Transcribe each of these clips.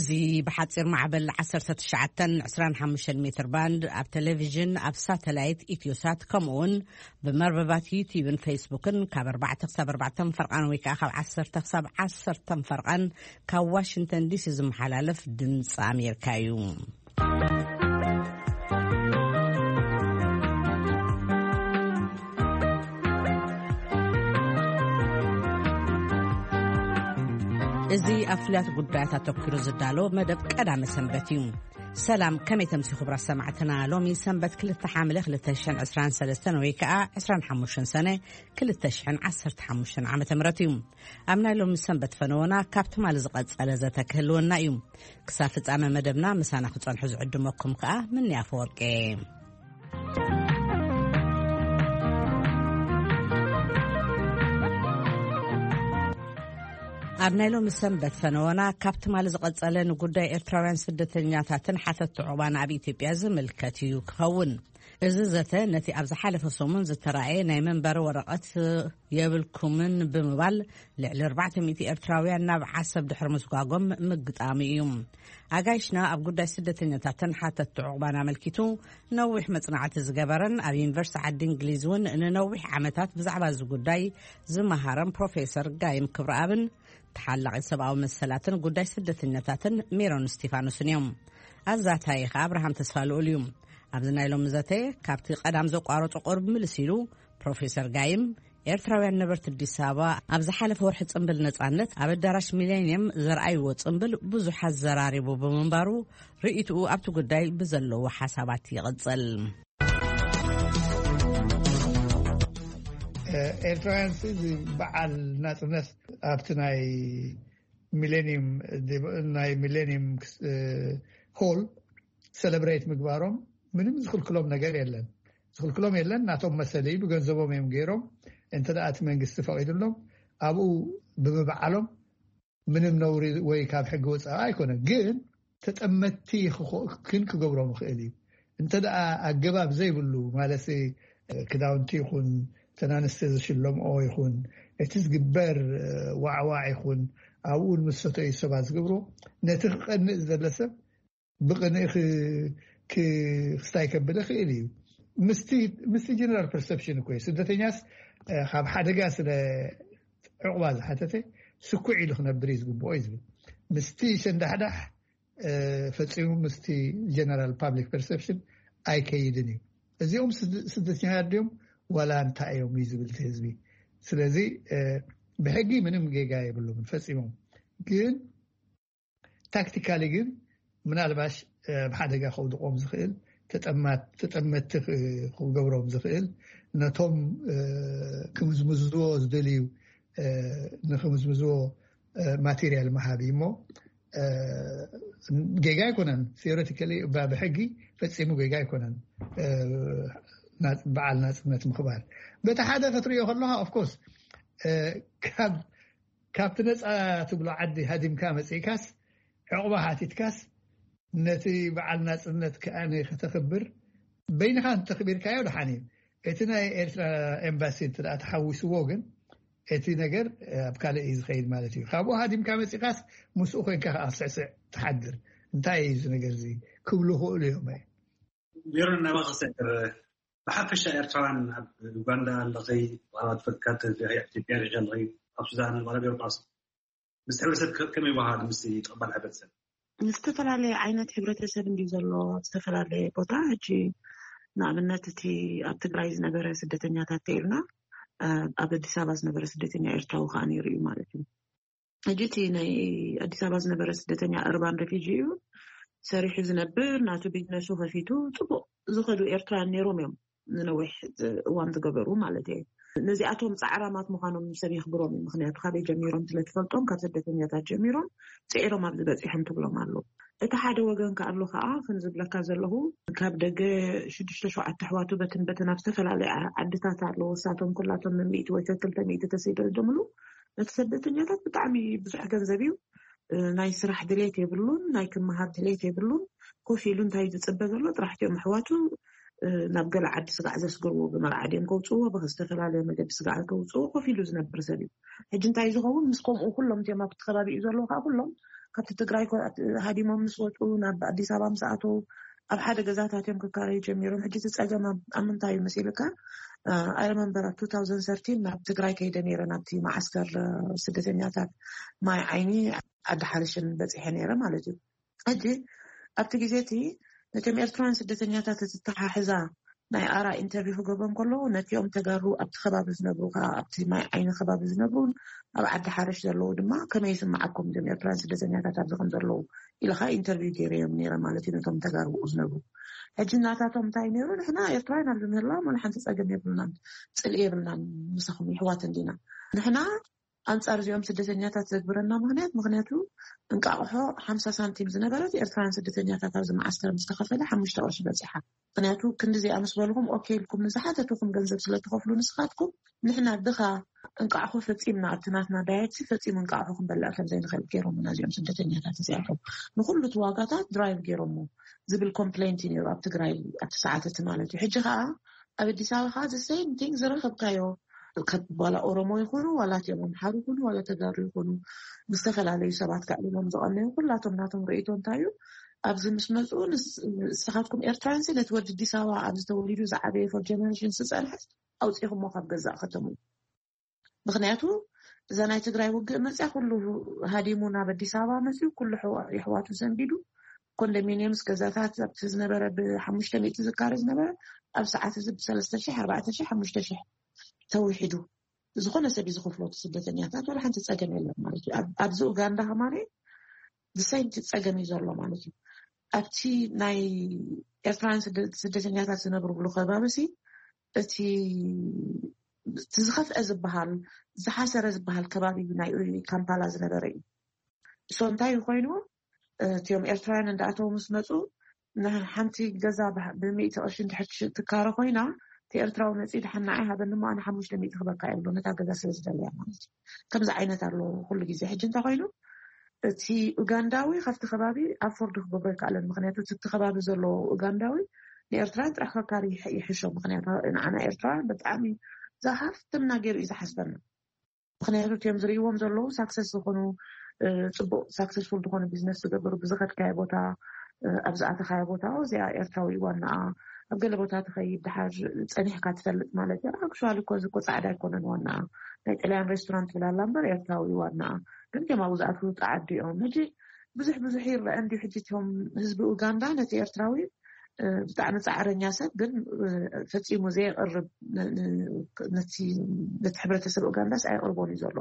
እዚ ብሓጺር ማዕበል ዓሰርተ ትሽዓተ ዕስራን ሓሙሽተን ሜትር ባንድ፣ ኣብ ቴሌቪዥን፣ ኣብ ሳተላይት ኢትዮሳት፣ ከምኡውን ብመርበባት ዩቲዩብን ፌስቡክን ካብ ኣርባዕተ ክሳብ ኣርባዕተ ፈርቓን ወይ ከዓ ካብ ዓሰርተ ክሳብ ዓሰርተ ፈርቓን ካብ ዋሽንግተን ዲሲ ዝመሓላለፍ ድምፂ ኣሜሪካ እዩ። እዚ ኣብ ፍሉያት ጉዳያት ኣተኲሩ ዝዳሎ መደብ ቀዳመ ሰንበት እዩ። ሰላም፣ ከመይ ተምሲ ክቡራት ሰማዕትና? ሎሚ ሰንበት ክልተ ሓምለ ክልተ ሽሕን ዕስራን ሰለስተን ወይ ከዓ ዕስራን ሓሙሽተን ሰነ ክልተ ሽሕን ዓሰርተ ሓሙሽተን ዓመተ ምህረት እዩ። ኣብ ናይ ሎሚ ሰንበት ፈነወና ካብ ትማሊ ዝቐጸለ ዘተ ክህልወና እዩ። ክሳብ ፍጻመ መደብና ምሳና ክጸንሑ ዝዕድመኩም ከዓ ምንያ ኣፈወርቄ። ኣብ ናይ ሎሚ ሰንበት ፈነወና ካብ ትማሊ ዝቐጸለ ንጉዳይ ኤርትራውያን ስደተኛታትን ሓተት ዑቕባን ኣብ ኢትዮጵያ ዝምልከት እዩ ክኸውን። እዚ ዘተ ነቲ ኣብ ዝሓለፈ ሰሙን ዝተራእየ ናይ መንበሪ ወረቐት የብልኩምን ብምባል ልዕሊ ኣርባዕተ ሚእቲ ኤርትራውያን ናብ ዓሰብ ድሕሪ ምስጓጎም ምግጣሙ እዩ። ኣጋይሽና ኣብ ጉዳይ ስደተኛታትን ሓተት ዑቕባን ኣመልኪቱ ነዊሕ መጽናዕቲ ዝገበረን ኣብ ዩኒቨርሲቲ ዓዲ እንግሊዝ እውን ንነዊሕ ዓመታት ብዛዕባ እዚ ጉዳይ ዝመሃረን ፕሮፌሰር ጋይም ክብረኣብን ተሓላቒ ሰብኣዊ መሰላትን ጉዳይ ስደተኛታትን ሜሮን እስቲፋኖስን እዮም። ኣዛታዪ ኸኣ ኣብርሃም ተስፋ ልኡል እዩ። ኣብዚ ናይ ሎሚ ዘተ ካብቲ ቀዳም ዘቋረጾ ቁሩብ ምልስ ኢሉ ፕሮፌሰር ጋይም ኤርትራውያን ነበርቲ ኣዲስ ኣበባ ኣብ ዝሓለፈ ወርሒ ጽምብል ነጻነት ኣብ ኣዳራሽ ሚሌኒየም ዘርኣይዎ ጽምብል ብዙሕ ኣዘራሪቡ ብምንባሩ ርእይትኡ ኣብቲ ጉዳይ ብዘለዎ ሓሳባት ይቕጽል። ኤርትራውያን እዚ በዓል ናጽነት ኣብቲ ናይ ሚሌኒየም፣ ናይ ሚሌኒየም ሆል ሰለብሬት ምግባሮም ምንም ዝኽልክሎም ነገር የለን። ዝኽልክሎም የለን። ናቶም መሰል እዩ። ብገንዘቦም እዮም ገይሮም። እንተ ደኣ እቲ መንግስቲ ፈቒዱሎም ኣብኡ ብምብዓሎም ምንም ነውሪ ወይ ካብ ሕጊ ወፃኢ ኣይኮነን። ግን ተጠመትቲ ክኾ-፣ ክን ክገብሮም ይኽእል እዩ። እንተ ደኣ ኣገባብ ዘይብሉ ማለት ክዳውንቲ ይኹን፣ ተናንስቲ ዝሽለምኦ ይኹን፣ እቲ ዝግበር ዋዕዋዕ ይኹን፣ ኣብኡ ምስ ሰተዩ ሰባት ዝገብሮ፣ ነቲ ክቐንእ ዝደለ ሰብ ብቕንኢ ክ-፣ ክ-፣ ክስታይ ከብል ይኽእል እዩ። ምስቲ፣ ምስቲ ጀነራል ፐርሰፕሽን እኮ እዩ። ስደተኛስ፣ እ፣ ካብ ሓደጋ ስለ ዕቑባ ዝሓተተ ስኩዕ ኢሉ ክነብር እዩ ዝግብኦ እዩ ዝብል። ምስቲ ሸንዳሕዳሕ፣ እ፣ ፈጺሙ ምስቲ ጀነራል ፓብሊክ ፐርሰፕሽን ኣይከይድን እዩ። እዚኦም ስድ-፣ ስደተኛታት ድዮም ዋላ እንታይ እዮም እዩ ዝብል እቲ ህዝቢ። ስለዚ፣ እ፣ ብሕጊ ምንም ጌጋ የብሎምን ፈጺሞም። ግን ታክቲካሊ ግን ምናልባሽ፣ እ፣ ኣብ ሓደጋ ከውድቖም ዝኽእል፣ ተጠማት-፣ ተጠመትቲ ክ-፣ ክገብሮም ዝኽእል፣ ነቶም፣ እ፣ ክምዝምዝዎ ዝደልዩ፣ እ፣ ንክምዝምዝዎ፣ እ፣ ማቴሪያል ምሃብ እዩ እሞ፣ እ፣ ጌጋ ኣይኮነን። ቴዎሬቲካሊ ብ-፣ ብሕጊ ፈጺሙ ጌጋ ኣይኮነን። እ፣ ናጽ-፣ በዓል ናጽነት ምኽባር በቲ ሓደ ክትሪኦ ከለኻ፣ ኦፍኮርስ፣ እ፣ ካብ ካብቲ ነጻ ትብሎ ዓዲ ሃዲምካ መጺእካስ፣ ዕቑባ ሓቲትካስ፣ ነቲ በዓል ናጽነት ከኣ ከተኽብር በይንኻ እንተኽቢርካዮ ደሓን እዩ። እቲ ናይ ኤርትራ ኤምባሲ እንተ ደኣ ተሓዊስዎ ግን፣ እቲ ነገር ኣብ ካልእ እዩ ዝኸይድ ማለት እዩ። ካብኡ ሃዲምካ መጺእካስ፣ ምስኡ ኮይንካ ከኣ ስዕስዕ ትሓድር። እንታይ እዩ እዚ ነገር እዚ ክብሉ ይኽእሉ እዮም። ሜሮን፣ ናባኻ ክሰግር። ብሓፈሻ ኤርትራውያን ኣብ ዩጋንዳ ኣለኸይ፣ ዋላ ትፈካ፣ ኢትዮጵያ ርኢኺ ኣለኸይ፣ ኣብ ሱዳን፣ ዋላ ኣብ ኤውሮጳ፣ ምስ ሕብረተሰብ ከ-፣ ከመይ ይወሃሃድ? ምስ ተቐባል ሕብረተሰብ? ዝተፈላለየ ዓይነት ሕብረተሰብ እንድዩ ዘሎ ኣብ ዝተፈላለየ ቦታ። ሕጂ ንኣብነት እቲ ኣብ ትግራይ ዝነበረ ስደተኛታት ተኢልና፣ እ፣ ኣብ ኣዲስ ኣበባ ዝነበረ ስደተኛ ኤርትራዊ ከኣ ነይሩ እዩ ማለት እዩ። ሕጂ እቲ ናይ ኣዲስ ኣበባ ዝነበረ ስደተኛ እርባን ሬፊጂ እዩ። ሰሪሑ ዝነብር፣ ናቱ ቢዝነሱ ከፊቱ፣ ጽቡቕ ዝኸዱ ኤርትራውያን ነይሮም እዮም፣ ንነዊሕ እዋን ዝገበሩ ማለት እየ። ነዚኣቶም ጻዕራማት ምዃኖም ሰብ የኽብሮም እዩ። ምኽንያቱ ካበይ ጀሚሮም ስለ ትፈልጦም፣ ካብ ስደተኛታት ጀሚሮም ጽዒሮም ኣብዚ በጺሖም ትብሎም ኣለዉ። እቲ ሓደ ወገን ከኣ ኣሎ ከኣ፣ ከም ዝብለካ ዘለኹ፣ ካብ ደገ ሽዱሽተ ሸውዓተ ኣሕዋቱ በትን በትን ኣብ ዝተፈላለያ ዓድታት ኣለዉ። እሳቶም ኩላቶም ሚእቲ ወይ ከ ክልተ ሚእቲ ተሰይደልደምሉ፣ ነቲ ስደተኛታት ብጣዕሚ ብዙሕ ገንዘብ እዩ። እ፣ ናይ ስራሕ ድሌት የብሉን፣ ናይ ክመሃር ድሌት የብሉን። ኮፍ ኢሉ እንታይ ዝጽበ ዘሎ ጥራሕ እዮም ኣሕዋቱ፣ እ፣ ናብ ገለ ዓዲ ስጋዕ ዘስግርዎ፣ ብመርዓ ድዮም ከውጽእዎ፣ ብዝተፈላለየ መገዲ ስጋዕ ከውጽእዎ ኮፍ ኢሉ ዝነብር ሰብ እዩ። ሕጂ እንታይ ዝኸውን ምስ ከምኡ ኩሎም እቲኦም ኣብቲ ከባቢ እዩ ዘለዉ ከኣ ኩሎም ካብቲ ትግራይ ኮ- ሃዲሞም ምስ ወፁ ናብ ኣዲስ ኣበባ ምስ ኣተው ኣብ ሓደ ገዛታት እዮም ክካረዩ ጀሚሮም። ሕጂ እቲ ፀገም ኣብ ኣብ ምንታይ እዩ መሲልካ? ኣይ ሪመምበር ኣብ two thousand thirteen ናብ ትግራይ ከይደ ነይረ፣ ናብቲ መዓስከር ስደተኛታት ማይ ዓይኒ ዓዲ ሓርሽን በፂሐ ነይረ ማለት እዩ። ሕጂ ኣብቲ ግዜ እቲ ነቶም ኤርትራውያን ስደተኛታት እተተሓሕዛ ናይ ኣራ ኢንተርቪው ክገብሮም ከለዉ ነቲኦም ተጋሩ ኣብቲ ከባቢ ዝነብሩ ከዓ ኣብቲ ማይ ዓይኒ ከባቢ ዝነብሩን ኣብ ዓዲ ሓርሽ ዘለዉ ድማ ከመይ ይስምዓኩም እዞም ኤርትራውያን ስደተኛታት ኣብዚ ከም ዘለዉ ኢልካ ኢንተርቪው ገይረዮም ነይረ ማለት እዩ ነቶም ተጋሩ ዝነብሩ። ሕጂ እናታቶም እንታይ ነይሩ? ንሕና ኤርትራውያን ኣብዚ ምህላዎም ወላ ሓንቲ ፀገም የብልናን፣ ፅልኢ የብልናን፣ ምሳኹም ይሕዋት እንዲና። ንሕና ኣንጻር እዚኦም ስደተኛታት ዘግብረና ምክንያት ምክንያቱ እንቃቕሖ ሓምሳ ሳንቲም ዝነበረት ኤርትራውያን ስደተኛታት ኣብዚ መዓስከር ምስ ተኸፈለ ሓሙሽተ ቅርሺ በጺሓ። ምክንያቱ ክንዲ እዚኣ ምስ በልኹም ኦኬ ኢልኩም ንዝሓተትኹም ገንዘብ ስለ ትኸፍሉ ንስኻትኩም ንሕና ድኻ እንቃቕሖ ፈጺምና ኣብቲ ናትና ዳየት ፈጺሙ እንቃቕሖ ክንበልዕ ከም ዘይንኽእል ገይሮምና እዚኦም ስደተኛታት እዚኣቶም ንኩሉ እቲ ዋጋታት ድራይቭ ገይሮሞ ዝብል ኮምፕሌንት እዩ ነይሩ ኣብ ትግራይ ኣብቲ ሰዓት እቲ ማለት እዩ። ሕጂ ከዓ ኣብ ኣዲስ ኣበባ ከዓ ዘ ሴም ቲንግ ዝረኸብካዮ ዋላ ኦሮሞ ይኹኑ ዋላ እቲኦም ኣምሓሩ ይኹኑ ዋላ ተጋሩ ይኹኑ ምስ ዝተፈላለዩ ሰባት ከዕልሎም ዝቐነዩ ኩላቶም ናቶም ርእይቶ እንታይ እዩ ኣብዚ ምስ መፁ ንስኻትኩም ኤርትራንሲ ነቲ ወዲ ኣዲስ ኣበባ ኣብዚ ተወሊዱ ዝዓበየ ፎር ጀነሬሽን ዝፀንሐ ኣውፂኹሞ ካብ ገዛእ ከተሙ። ምክንያቱ እዛ ናይ ትግራይ ውግእ መፅያ ኩሉ ሃዲሙ ናብ ኣዲስ ኣበባ መፅዩ ኩሉ የሕዋቱ ዘንቢዱ ኮንዶሚኒየምስ ገዛታት ኣብቲ ዝነበረ ብሓሙሽተ ሚእቲ ዝካረ ዝነበረ ኣብ ሰዓት እዚ ብሰለስተ ሺሕ ኣርባዕተ ሺሕ ሓሙሽተ ሺሕ ተውሒዱ ዝኾነ ሰብ ዝኸፍሎ ስደተኛታት ወላ ሓንቲ ፀገም የለን ማለት እዩ። ኣብዚ ኡጋንዳ ከማነ ብሰይቲ ፀገም እዩ ዘሎ ማለት እዩ። ኣብቲ ናይ ኤርትራውያን ስደተኛታት ዝነብርሉ ከባቢ ሲ እቲ ዝኸፍአ ዝበሃል ዝሓሰረ ዝበሃል ከባቢ ናይ ካምፓላ ዝነበረ እዩ። እሶ እንታይ ኮይኑ እቲኦም ኤርትራውያን እንዳኣተው ምስ መፁ ንሓንቲ ገዛ ብሚእቲ ቅርሺ እንድሕር ትካረ ኮይና እቲ ኤርትራዊ መፂ ድሓን ንዓይ ሃበኒ እሞ ኣነ ሓሙሽተ ሚእቲ ክበካ እየ ብሎ ነታ ገዛ ስለ ዝደለያ ማለት እዩ። ከምዚ ዓይነት ኣሎ ኩሉ ግዜ። ሕጂ እንታይ ኮይኑ እቲ ኡጋንዳዊ ካብቲ ከባቢ ኣፎርድ ክገብሮ ይከኣለን ምክንያቱ እቲ ከባቢ ዘሎ ኡጋንዳዊ ንኤርትራን ጥራሕ ከካሪ ይሕሾ ምክንያቱ ንዓና ኤርትራውያን ብጣዕሚ ዝሃፍትና ገይሩ እዩ ዝሓስበና። ምክንያቱ እቲኦም ዝርእይዎም ዘለዉ ሳክሰስ ዝኾኑ ፅቡቅ ሳክሰስፉል ዝኾኑ ቢዝነስ ዝገብሩ ብዝኸድካዮ ቦታ ኣብ ዝኣተኻዮ ቦታ እዚኣ ኤርትራዊ ዋናኣ ኣብ ገለ ቦታ ትኸይድ ድሓር ፀኒሕካ ትፈልጥ ማለት እዩ። ኣክቹዋሊ እኮ እዚ እኮ ፃዕዳ ኣይኮነን ዋናኣ ናይ ጥልያን ሬስቶራንት ትብላላ እምበር ኤርትራዊ ዋናኣ ግን ከም ኣብኡ ዝኣትዉ ፃዓዱ እዮም። ሕጂ ብዙሕ ብዙሕ ይረአ እንዲ ሕጂ እቶም ህዝቢ ኡጋንዳ ነቲ ኤርትራዊ ብጣዕሚ ፃዕረኛ ሰብ ግን ፈፂሙ ዘየቅርብ ነቲ ሕብረተሰብ ኡጋንዳስ ኣየቅርቦን እዩ ዘሎ።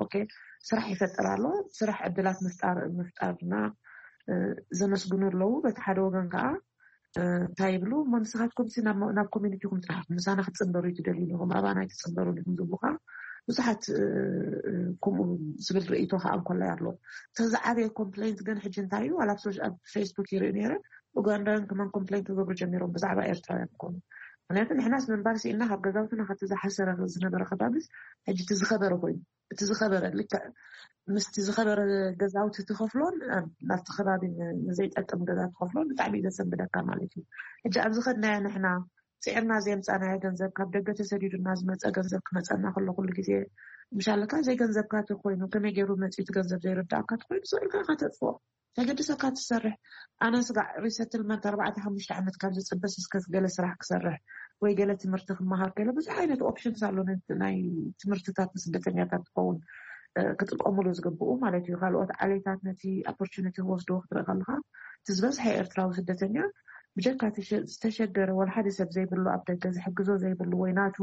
ስራሕ ይፈጥር ኣሎ። ስራሕ ዕድላት ምፍጣር ምፍጣርና ዘመስግኑ ኣለዉ። በቲ ሓደ ወገን ከዓ እንታይ ይብሉ እሞ ንስኻትኩም ናብ ኮሚኒቲኹም ጥራሕ ምሳና ክትፅንበሩ ትደልዩ ኢኹም ኣባና ኣይትፅንበሩ ኢኹም ዝብሉ ከዓ ብዙሓት ከምኡ ዝብል ርእይቶ ከዓ እንኮላይ ኣሎ። ተዝዓበየ ኮምፕሌንት ግን ሕጂ እንታይ እዩ ኣብ ፌስቡክ ይርኢ ነይረ ኡጋንዳውያን ከማን ኮምፕሌን ክገብሩ ጀሚሮም ብዛዕባ ኤርትራውያን ኮኑ። ምክንያቱ ንሕናስ ምንባር ስኢና ካብ ገዛውትና ካብቲ ዝሓሰረ ዝነበረ ከባቢስ ሕጂ እቲ ዝኸበረ ኮይኑ እቲ ዝኸበረ ልክዕ ምስቲ ዝኸበረ ገዛውቲ ትኸፍሎን ናብቲ ከባቢ ንዘይጠቅም ገዛ ትኸፍሎን ብጣዕሚ ዘሰንብደካ ማለት እዩ። ሕጂ ኣብዚ ከድናዮ ንሕና ፅዕርና ዘየምፃናዮ ገንዘብ ካብ ደገ ተሰዲዱና ዝመፀ ገንዘብ ክመፀና ከሎ ኩሉ ግዜ ምሻለካ ዘይገንዘብካ ተኮይኑ ከመይ ገይሩ መፅኡ እቲ ገንዘብ ዘይርዳእካ ተኮይኑ ስእልካ ከተጥፍኦ ተገድሰካ ትሰርሕ ኣነ ስጋዕ ሪሰትልመንት ኣርባዕተ ሓሙሽተ ዓመት ካብ ዝፅበስ እስከ ገለ ስራሕ ክሰርሕ ወይ ገለ ትምህርቲ ክመሃር ገለ ብዙሕ ዓይነት ኦፕሽንስ ኣሎ ናይ ትምህርትታት ንስደተኛታት ትኸውን ክጥቀሙሉ ዝግብኡ ማለት እዩ። ካልኦት ዓሌታት ነቲ ኦፖርቹኒቲ ክወስድዎ ክትርኢ ከለካ እቲ ዝበዝሐ ኤርትራዊ ስደተኛ ብጀካ ዝተሸገረ ወላ ሓደ ሰብ ዘይብሉ ኣብ ደገ ዝሕግዞ ዘይብሉ ወይ ናቱ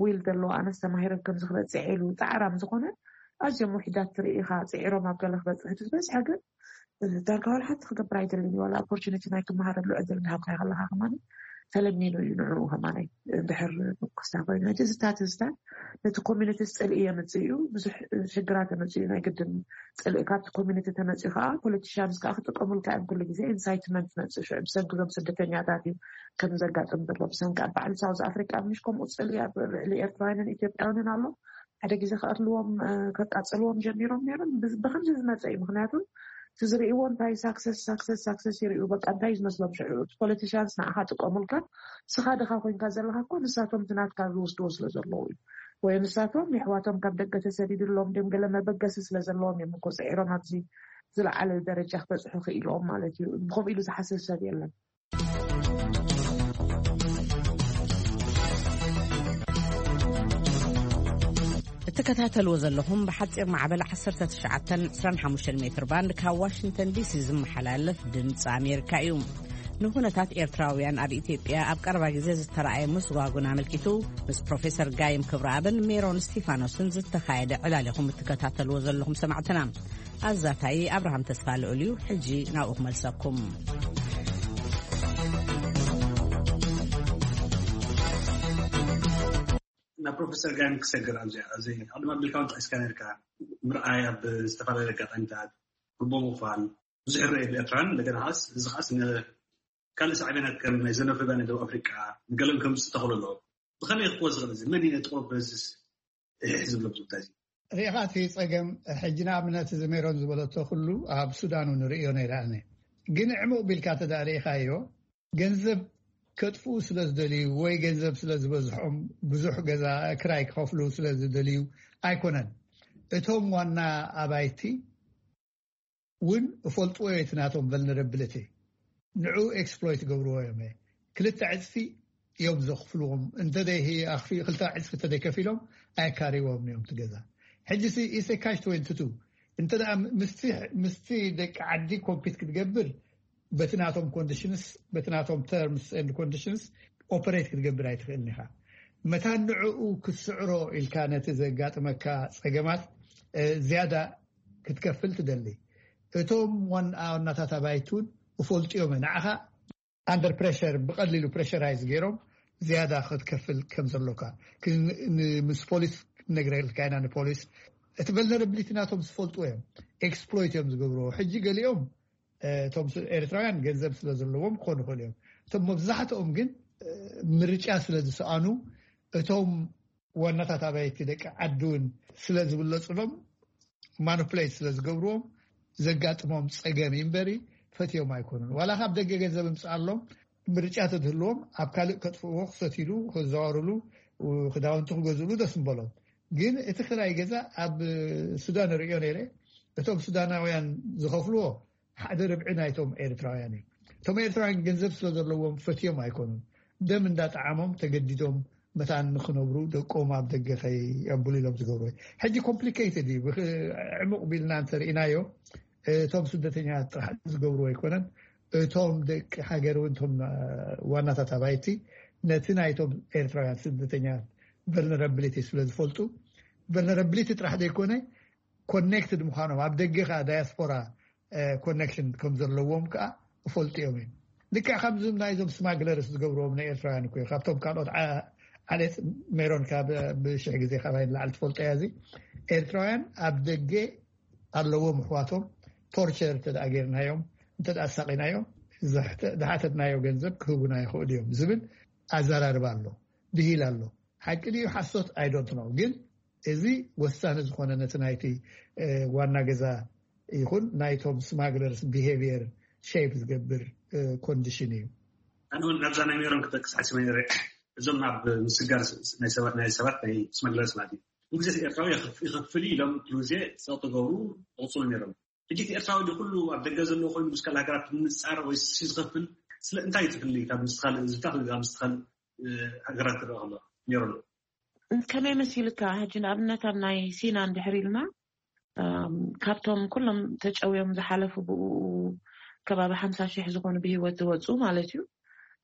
ዊል ዘለዎ ኣነስ ተማሂረ ከምዚ ክበፅሕ ኢሉ ፃዕራም ዝኾነ ኣዝዮም ውሕዳት ትርኢ ኢኻ ፅዒሮም ኣብ ገለ ክበፅሕ እቲ ዝበዝሐ ግን ዳርጋ ዋላ ሓንቲ ክገብር ኣይደልን እዩ ዋላ ኦፖርቹኒቲ ናይ ክመሃረሉ ዕድል እንዳሃብካዮ ከለካ ከማን ተለሚኑ እዩ ንዕኡ ከማን እንድሕር ምኩስታ ኮይኑ ሕጂ እዚ ታትዝታት ነቲ ኮሚኒቲ ፅልኢ የምፅእ እዩ ብዙሕ ሽግራት የምፅእ እዩ ናይ ግድን ፅልኢ ካብቲ ኮሚኒቲ ተመፅኡ ከዓ ፖለቲሽያንስ ከዓ ክጥቀሙልካ እዮም ኩሉ ግዜ ኢንሳይትመንት መፅእ ሽዑ ብሰንኪ እዞም ስደተኛታት እዩ ከም ዘጋጥም ዘሎ ብሰንኪ ኣብ ባዕሉ ሳውዝ ኣፍሪቃ ምሽ ከምኡ ፅልኢ ኣብ ልዕሊ ኤርትራውያንን ኢትዮጵያውያንን ኣሎ ሓደ ግዜ ክቐትልዎም ከቃፅልዎም ጀሚሮም ነይሮም ብከምዚ ዝመፀ እዩ ምክንያቱ እቲ ዝርእይዎ እንታይ ሳክሰስ ሳክሰስ ሳክሰስ ይርእዩ በቃ እንታይ ዝመስሎም ሽዑ እቲ ፖለቲሽያንስ ንዓኻ ጥቀሙልካ ስኻ ድኻ ኮይንካ ዘለካ እኮ ንሳቶም ትናትካ ዝወስድዎ ስለ ዘለዉ እዩ ወይ ንሳቶም የሕዋቶም ካብ ደገ ተሰዲድሎም ድም ገለ መበገሲ ስለ ዘለዎም እዮም እኮ ጽዒሮም ኣብዚ ዝለዓለ ደረጃ ክበጽሑ ክኢሎም ማለት እዩ። ብኸምኡ ኢሉ ዝሓስብ ሰብ የለን። እትከታተልዎ ዘለኹም ብሓፂር ማዕበል ዓሰርተ ትሽዓተ ዕስራን ሓሙሽተን ሜትር ባንድ ካብ ዋሽንግተን ዲሲ ዝመሓላለፍ ድምፂ ኣሜሪካ እዩ። ንኹነታት ኤርትራውያን ኣብ ኢትዮጵያ ኣብ ቀረባ ግዜ ዝተረኣየ ምስጓጉን ኣመልኪቱ ምስ ፕሮፌሰር ጋይም ክብረኣብን ሜሮን ስቲፋኖስን ዝተኻየደ ዕላል ኢኹም እትከታተልዎ ዘለኹም ሰማዕትና። ኣዛታይ ኣብርሃም ተስፋ ልኡል እዩ። ሕጂ ናብኡ ክመልሰኩም። ናብ ፕሮፌሰር ጋይም ክሰግር ኣብዚ ኣብዚ ቅድሚ ኣቢልካ እውን ጠቂስካ ነርካ። ምርኣይ ኣብ ዝተፈላለዩ ኣጋጣሚታት፣ ርቦ ምኽፋል፣ ብዙሕ ይረአ ብኤርትራን እንደገና ኸዓስ እዚ ኸዓስ ካልእ ሳዕቤናት ከም ናይ ዘኖፍሪዳ ናይ ደቡብ ኣፍሪቃ ንገለን ከምፅእ ተኽእሎ ኣለዎ። ብኸመይ ክወ ዝኽእል እዚ መን እዩ ነጥቆ በዝስ ዝብሎ ብዙ ጉዳይ እዚ? ሪኢኻ እቲ ጸገም ሕጂ ንኣብነት እዚ ሜሮን ዝበለቶ ኩሉ ኣብ ሱዳን እውን ርእዮ ነይረ ኣነ። ግን ዕሙቕ ቢልካ ተዳ ርኢኻዮ ገንዘብ ከጥፍኡ ስለ ዝደልዩ ወይ ገንዘብ ስለ ዝበዝሖም ብዙሕ ገዛ ክራይ ክኸፍሉ ስለ ዝደልዩ ኣይኮነን። እቶም ዋና ኣባይቲ እውን እፈልጥዎ እቲ ናቶም vulnerability ንዑ exploit ገብርዎ እዮም። ክልተ ዕፅፊ እዮም ዘኽፍልዎም። እንተደይ ኣኽፊ ክልተ ዕፅፊ እንተደይከፊሎም ኣየካርዎም እዮም ትገዛ። ሕጂ ሲ ኢሰ ካሽ ትወንትቱ እንተ ምስቲ ደቂ ዓዲ ኮምፒት ክትገብር በቲ ናቶም ኮንዲሽንስ በቲ ናቶም terms and conditions operate ክትገብር ኣይትኽእልን ኢኻ። መታን ንዕኡ ክትስዕሮ ኢልካ ነቲ ዘጋጥመካ ፀገማት ዝያዳ ክትከፍል ትደሊ። እቶም ዋናታት ኣባይቲ እውን እፈልጡ እዮም ንዓኻ under pressure ብቐሊሉ pressurise ገይሮም ዝያዳ ክትከፍል ከም ዘሎካ ምስ ፖሊስ ነግረልካ ኢና። ንፖሊስ እቲ vulnerability ናቶም ዝፈልጡ እዮም። Exploit እዮም ዝገብርዎ። ሕጂ ገሊኦም እቶም ኤርትራውያን ገንዘብ ስለ ዘለዎም ክኾኑ ይኽእሉ እዮም። እቶም መብዛሕትኦም ግን ምርጫ ስለ ዝሰኣኑ እቶም ዋናታት ኣባይቲ ደቂ ዓዲ እውን ስለ ዝብለፁሎም ማኒፕሌት ስለ ዝገብርዎም ዘጋጥሞም ፀገም እዩ እምበሪ ፈትዮም ኣይኮኑን። ዋላ ካብ ደገ ገንዘብ እምፅኣሎም ምርጫ ተድህልዎም ኣብ ካልእ ከጥፍእዎ ክሰትሉ ክዘዋርሉ ክዳውንቲ ክገዝእሉ ደስ ምበሎም። ግን እቲ ክራይ ገዛ ኣብ ሱዳን ርእዮ ነይረ። እቶም ሱዳናውያን ዝኸፍልዎ ሓደ ርብዒ ናይቶም ኤርትራውያን እዩ። እቶም ኤርትራውያን ገንዘብ ስለ ዘለዎም ፈትዮም ኣይኮኑን። ደም እንዳጠዓሞም ተገዲዶም መታን ንክነብሩ ደቆም ኣብ ደገ ከይኣብሉ ኢሎም ዝገብሩ። ሕጂ complicated እዩ። ዕሙቕ ቢልና እንተርኢናዮ እቶም ስደተኛት ጥራሕ ዝገብሩ ኣይኮነን። እቶም ደቂ ሃገር እውን እቶም ዋናታት ኣባይቲ ነቲ ናይቶም ኤርትራውያን ስደተኛት vulnerability ስለ ዝፈልጡ vulnerability ጥራሕ ዘይኮነ connected ምዃኖም ኣብ ደገ ከዓ ዳያስፖራ connection ከም ዘለዎም ከዓ እፈልጡ እዮም እዮም። ልክዕ ከምዚ ናይዞም smugglers ዝገብርዎም ናይ ኤርትራውያን እኮ ካብቶም ካልኦት ዓሌት ሜሮን ካብ ብሽሕ ግዜ ካባይ ንላዕሊ ትፈልጦ እያ። እዚ ኤርትራውያን ኣብ ደገ ኣለዎም ኣሕዋቶም torture እንተ ገይርናዮም እንተ ኣሳቂናዮም ዝሓተትናዮ ገንዘብ ክህቡና ይኽእሉ እዮም ዝብል ኣዘራርባ ኣሎ፣ ብሂል ኣሎ። ሓቂ ድዩ ሓሶት I don't know። ግን እዚ ወሳኒ ዝኾነ ነቲ ናይቲ ዋና ገዛ ይኹን ናይቶም smugglers behaviour shape ዝገብር condition እዩ። ኣነ እውን ናብዛ ናይ ሜሮን ክጠቅስ ሓሲበ ነይረ። እዞም ናብ ምስጋር ናይ ሰባት ናይ smugglers ማለት እዩ። ኩሉ ግዜ ኤርትራዊ ይኸፍል ኢሎም ኩሉ ግዜ ጸቕጢ ገብሩ ይቕጽሉ ነይሮም። ሕጂ እቲ ኤርትራዊ ኩሉ ኣብ ደገ ዘለዎ ኮይኑ ምስ ካልእ ሃገራት ምንጻር ወይ ዝኸፍል ስለ እንታይ ትፍሊ ካብ ምስ ካልእ ዝታ ካብ ምስ ካልእ ሃገራት ትረኣ ከሎ ሜሮን? ከመይ መሲልካ ሕጂ ንኣብነት ኣብ ናይ ሲና እንድሕር ኢልና ካብቶም ኩሎም ተጨውዮም ዝሓለፉ ብኡ ከባቢ ሓምሳ ሽሕ ዝኾኑ ብህይወት ዝወፁ ማለት እዩ።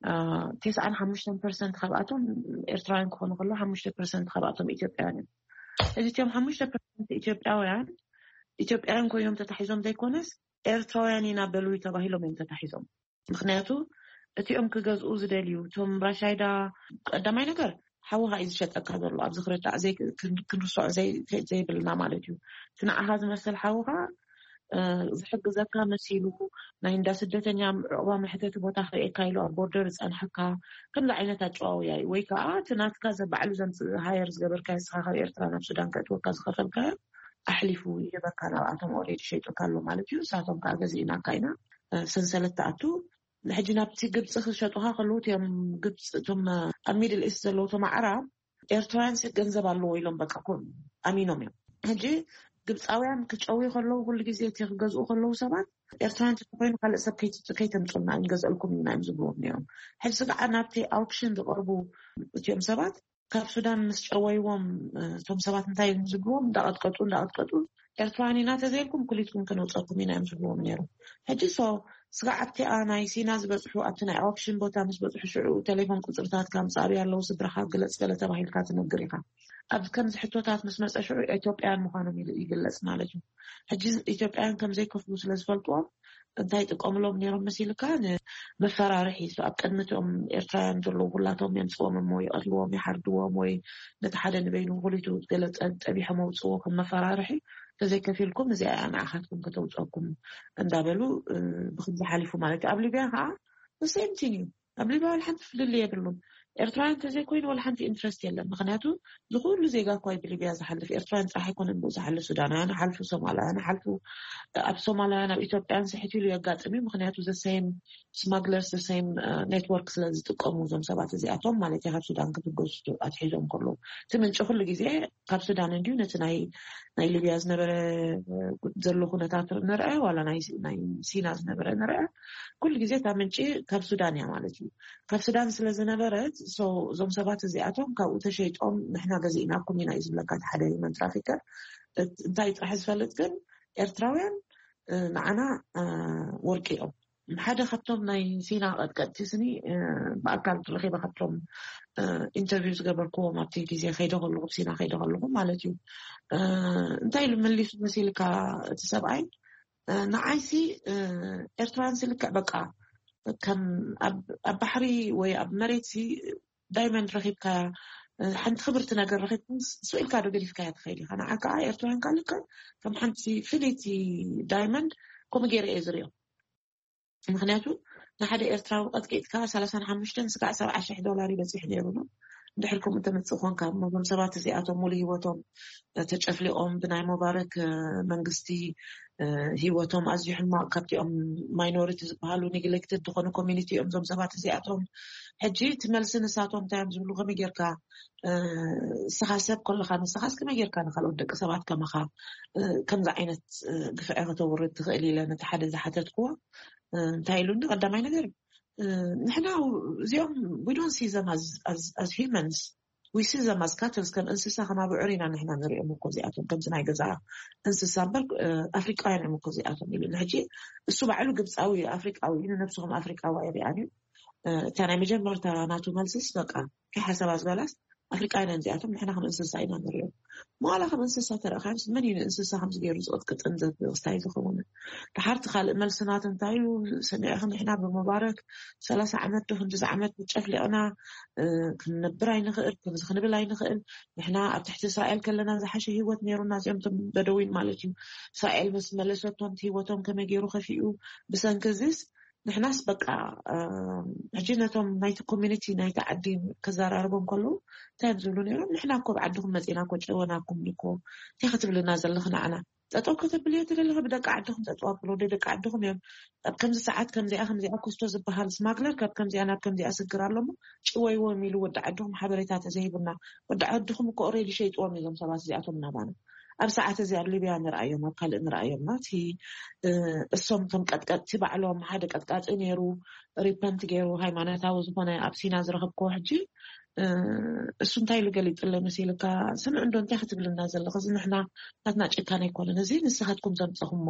ተስዓን ሓሙሽተን ፐርሰንት ካብኣቶም ኤርትራውያን ክኾኑ ከሎ ሓሙሽተ ፐርሰንት ካብኣቶም ኢትዮጵያውያን እዮም። እዚ እቲኦም ሓሙሽተ ፐርሰንት ኢትዮጵያውያን ኢትዮጵያውያን ኮይኖም ተታሒዞም ዘይኮነስ ኤርትራውያን ኢና በሉ ተባሂሎም እዮም ተታሒዞም። ምክንያቱ እቲኦም ክገዝኡ ዝደልዩ እቶም ራሻይዳ ቀዳማይ ነገር ሓውኻ እዩ ዝሸጠካ ዘሎ ኣብዚ ክርዳእ ክንርስዖ ዘይብልና ማለት እዩ። እቲ ንዓኻ ዝመስል ሓውኻ ዝሕግዘካ መሲሉ ናይ እንዳ ስደተኛ ዕቑባ መሕተቲ ቦታ ክርእየካ ኢሉ ኣብ ቦርደር ዝፀንሐካ ከምዚ ዓይነት ኣጨዋውያ እዩ። ወይ ከዓ እቲ ናትካ ዘባዕሉ ዘምፅእ ሃየር ዝገበርካ ንስኻ ካብ ኤርትራ ናብ ሱዳን ከእትወካ ዝኸፈልካዮ ኣሕሊፉ ይህበካ ናብኣቶም ኦሬዲ ሸይጡካ ኣሎ ማለት እዩ። ንሳቶም ከዓ ገዚእናካ ኢና ሰንሰለት ትኣቱ። ሕጂ ናብቲ ግብፂ ክሸጡካ ከለዉ እቲኦም ግብፂ እቶም ኣብ ሚድል ኢስት ዘለዉ እቶም ኣዕራብ ኤርትራውያን ሲ ገንዘብ ኣለዎ ኢሎም በቃ ኮ ኣሚኖም እዮም። ሕጂ ግብፃውያን ክጨውዩ ከለዉ፣ ኩሉ ግዜ እቲ ክገዝኡ ከለዉ ሰባት፣ ኤርትራውያን እንተኾይኑ ካልእ ሰብ ከይት- ከይተምፁልና ኣይንገዝአልኩም ኢና እዮም ዝብልዎም ነይሮም። ሕጂ ከዓ ናብቲ ኣውክሽን ዝቐርቡ እቲኦም ሰባት ካብ ሱዳን ምስ ጨወይዎም፣ እቶም ሰባት እንታይ እዮም ዝብልዎም? እንዳቐጥቀጡ እንዳቐጥቀጡ፣ ኤርትራውያን ኢና ተዘይልኩም ኩሊትኩም ከነውፀኩም ኢና እዮም ዝብልዎም ነይሮም። ሕጂ ሶ ስጋዕ ኣብቲኣ ናይ ሲና ዝበፅሑ፣ ኣብቲ ናይ ኣውክሽን ቦታ ምስ በፅሑ፣ ሽዑ ቴሌፎን ቁፅርታት ካብ ምፃሩ ያለው ስድራኻ ግለፅ ገለ ተባሂልካ ትነግር ኢኻ። ኣብ ከምዚ ሕቶታት ምስ መፀ ሽዑ ኢትዮጵያን ምዃኖም ይል- ይግለፅ ማለት እዩ። ሕጂ ኢትዮጵያን ከም ዘይከፍሉ ስለ ዝፈልጥዎም እንታይ ይጥቀምሎም ነይሮም መሲልካ? ንመፈራርሒ። So ኣብ ቅድሚ እቶም ኤርትራውያን ዘለዉ ኩላቶም የምፅዎም እሞ ይቐትልዎም፣ ይሓርድዎም፣ ወይ ነቲ ሓደ ንበይኑ ኩሊቱ ገለ ጠ- ጠቢሖም ኣውፅዎ ከም መፈራርሒ፣ ተዘይከፊልኩም እዚኣ እያ ንዓኻትኩም ከተውፀኩም እንዳበሉ እ፣ ብክምዚ ሓሊፉ ማለት እዩ። ኣብ ሊብያ ከዓ the same thing እዩ። ኣብ ሊብያ ዋላ ሓንቲ ፍልልይ የብሉን። ኤርትራውያን እንተዘይኮይኑ ዋላ ሓንቲ ኢንትረስት የለን። ምክንያቱ ዝኩሉ ዜጋ እኳ እዩ ብሊብያ ዝሓልፍ። ኤርትራውያን ጥራሕ ኣይኮነን ብኡ ዝሓልፍ፣ ሱዳናውያን ሓልፉ፣ ሶማላውያን ሓልፉ። ኣብ ሶማላውያን ኣብ ኢትዮጵያን ስሕት ኢሉ የጋጥም እዩ። ምክንያቱ ዘሰይም ስማግለርስ፣ ዘሰይም ኔትወርክ ስለ ዝጥቀሙ እዞም ሰባት እዚኣቶም ማለት እዩ፣ ካብ ሱዳን ክትገዝቱ ኣትሒዞም ከለዉ። እቲ ምንጪ ኩሉ ግዜ ካብ ሱዳን እንዲዩ። ነቲ ናይ ናይ ሊብያ ዝነበረ ዘሎ ኩነታት ንርአ፣ ዋላ ናይ ናይ ሲና ዝነበረ ንርአ፣ ኩሉ ግዜ እታ ምንጪ ካብ ሱዳን እያ ማለት እዩ። ካብ ሱዳን ስለ ዝነበረት፣ so እዞም ሰባት እዚኣቶም ካብኡ ተሸይጦም ንሕና ገዚእናኩም ኢና እዩ ዝብለካ እቲ ሓደ ሂውማን ትራፊከር። እት- እንታይ ጥራሕ ዝፈልጥ ግን፣ ኤርትራውያን እ፣ ንዓና እ፣ ወርቂ እዮም። ሓደ ካብቶም ናይ ሲና ቀጥቀጥቲ ስኒ እ፣ ብኣካል ረኺበ ካብቶም እ፣ ኢንተርቪው ዝገበርክዎም ኣብቲ ግዜ ከይደ ከለኹ፣ ኣብ ሲና ከይደ ከለኹ ማለት እዩ። እ፣ እንታይ ኢሉ መሊሱ መሲልካ እቲ ሰብኣይ? እ፣ ንዓይሲ እ፣ ኤርትራውያን ስልክዕ በቃ ከም ኣብ ኣብ ባሕሪ ወይ ኣብ መሬት ሲ ዳይመንድ ረኺብካያ እ፣ ሓንቲ ክብርቲ ነገር ረኺብኩም ስ- ስኢልካ ዶ ገዲፍካያ ትኸይድ ኢኻ? ንዓ ከዓ ኤርትራውያን ካልከ ከም ሓንቲ ፍልይቲ ዳይመንድ ከምኡ ገይረ እየ ዝሪኦ። ምክንያቱ ንሓደ ኤርትራዊ ቀጥቂጥካ ሰላሳን ሓሙሽተን ስጋዕ ሰብዓ ሽሕ ዶላር ይበፅሕ ነይሩ ነው። እንድሕር ከምኡ ተመፅእ ኮንካ እሞ እዞም ሰባት እዚኣቶም ሙሉ ህይወቶም ተጨፍሊቆም ብናይ ሙባረክ መንግስቲ ህይወቶም ኣዝዩ ሕማቅ፣ ካብቲኦም ማይኖሪቲ ዝበሃሉ ኔግሌክትድ ዝኾኑ ኮሚኒቲ እዮም እዞም ሰባት እዚኣቶም። ሕጂ እቲ መልሲ ንሳቶም እንታይ እዮም ዝብሉ? ከመይ ጌርካ እስኻ ሰብ ከለኻ ንስኻስ ከመይ ጌርካ ንካልኦት ደቂ ሰባት ከማኻ ከምዚ ዓይነት ግፍዒ ከተውርድ ትኽእል ኢለ ነቲ ሓደ ዝሓተትክዎ እንታይ ኢሉኒ? ቀዳማይ ነገር ንሕና እዚኦም we don't see them as humans, we see them as cattle, ከም እንስሳ ከም ኣብዑር ኢና ንሕና ንሪኦም እኮ እዚኣቶም ከምዚ ናይ ገዛ እንስሳ እምበር ኣፍሪቃውያን እዮም እኮ እዚኣቶም ኢሉ። ሕጂ እሱ ባዕሉ ግብፃዊ ኣፍሪቃዊ እዩ፣ ንነብሱ ከም ኣፍሪቃዊ ኣይሪኣን እዩ። እታ ናይ መጀመርታ ናቱ መልስስ በቃ ከይሓሰባ ዝበላስ ኣፍሪቃውያን እዚኣቶም ንሕና ከም እንስሳ ኢና ንሪኦም። መዋላ ከም እንስሳ ተረእኻዮምስ መን እዩ ንእንስሳ ከምዚ ገይሩ ዝቕጥቅጥን ዘስታይ ዝኸውን? ድሓርቲ ካልእ መልስናት እንታይ እዩ ሰሚዕኺ? ንሕና ብሙባረክ ሰላሳ ዓመት ዶ ክንድዚ ዓመት ጨፍሊቕና ክንነብር ኣይንኽእል፣ ከምዚ ክንብል ኣይንኽእል። ንሕና ኣብ ትሕቲ እስራኤል ከለና ዝሓሸ ህይወት ነይሩና። እዚኦም እቶም በደዊን ማለት እዩ። እስራኤል ምስ መለሰቶም እቲ ህይወቶም ከመይ ገይሩ ከፊኡ። ብሰንኪ እዚስ ንሕናስ በቃ ሕጂ ነቶም ናይቲ ኮሚኒቲ ናይቲ ዓዲ ከዘራርቦም ከለዉ እንታይ እዮም ዝብሉ ነይሮም? ንሕና እኮ ብዓድኹም መፂና እኮ ጨወናኩም እኮ እንታይ ክትብልና ዘለኺ ንዓና? ጠጠው ከተብልዮ ትደለኺ ብደቂ ዓድኹም ጠጠው ኣብሎ ደቂ ዓድኹም እዮም። ኣብ ከምዚ ሰዓት ከምዚኣ ከምዚኣ ኮስቶ ዝበሃል ስማግለር ካብ ከምዚኣ ናብ ከምዚኣ ስግር ኣሎሞ ጭወይዎም ኢሉ ወዲ ዓድኹም ሓበሬታ ተዘይብና ወዲ ዓድኹም እኮ ኦሬዲ ሸይጥዎም እዮም ሰባት እዚኣቶም ናባና። ኣብ ሰዓት እዚ ኣብ ሊብያ ንርኣዮም ኣብ ካልእ ንርኣዮም ናቲ እሶም ከም ቀጥቀጥቲ ባዕሎም ሓደ ቀጥቃጢ ነይሩ ሪፐንት ገይሩ ሃይማኖታዊ ዝኾነ ኣብ ሲና ዝረኸብክዎ ሕጂ እሱ እንታይ ኢሉ ገሊፅለ መሲልካ? ስምዕ እንዶ እንታይ ክትብልና ዘለኹ? እዚ ንሕና ናትና ጭካነ ኣይኮነን፣ እዚ ንስኻትኩም ዘምፀኹሞ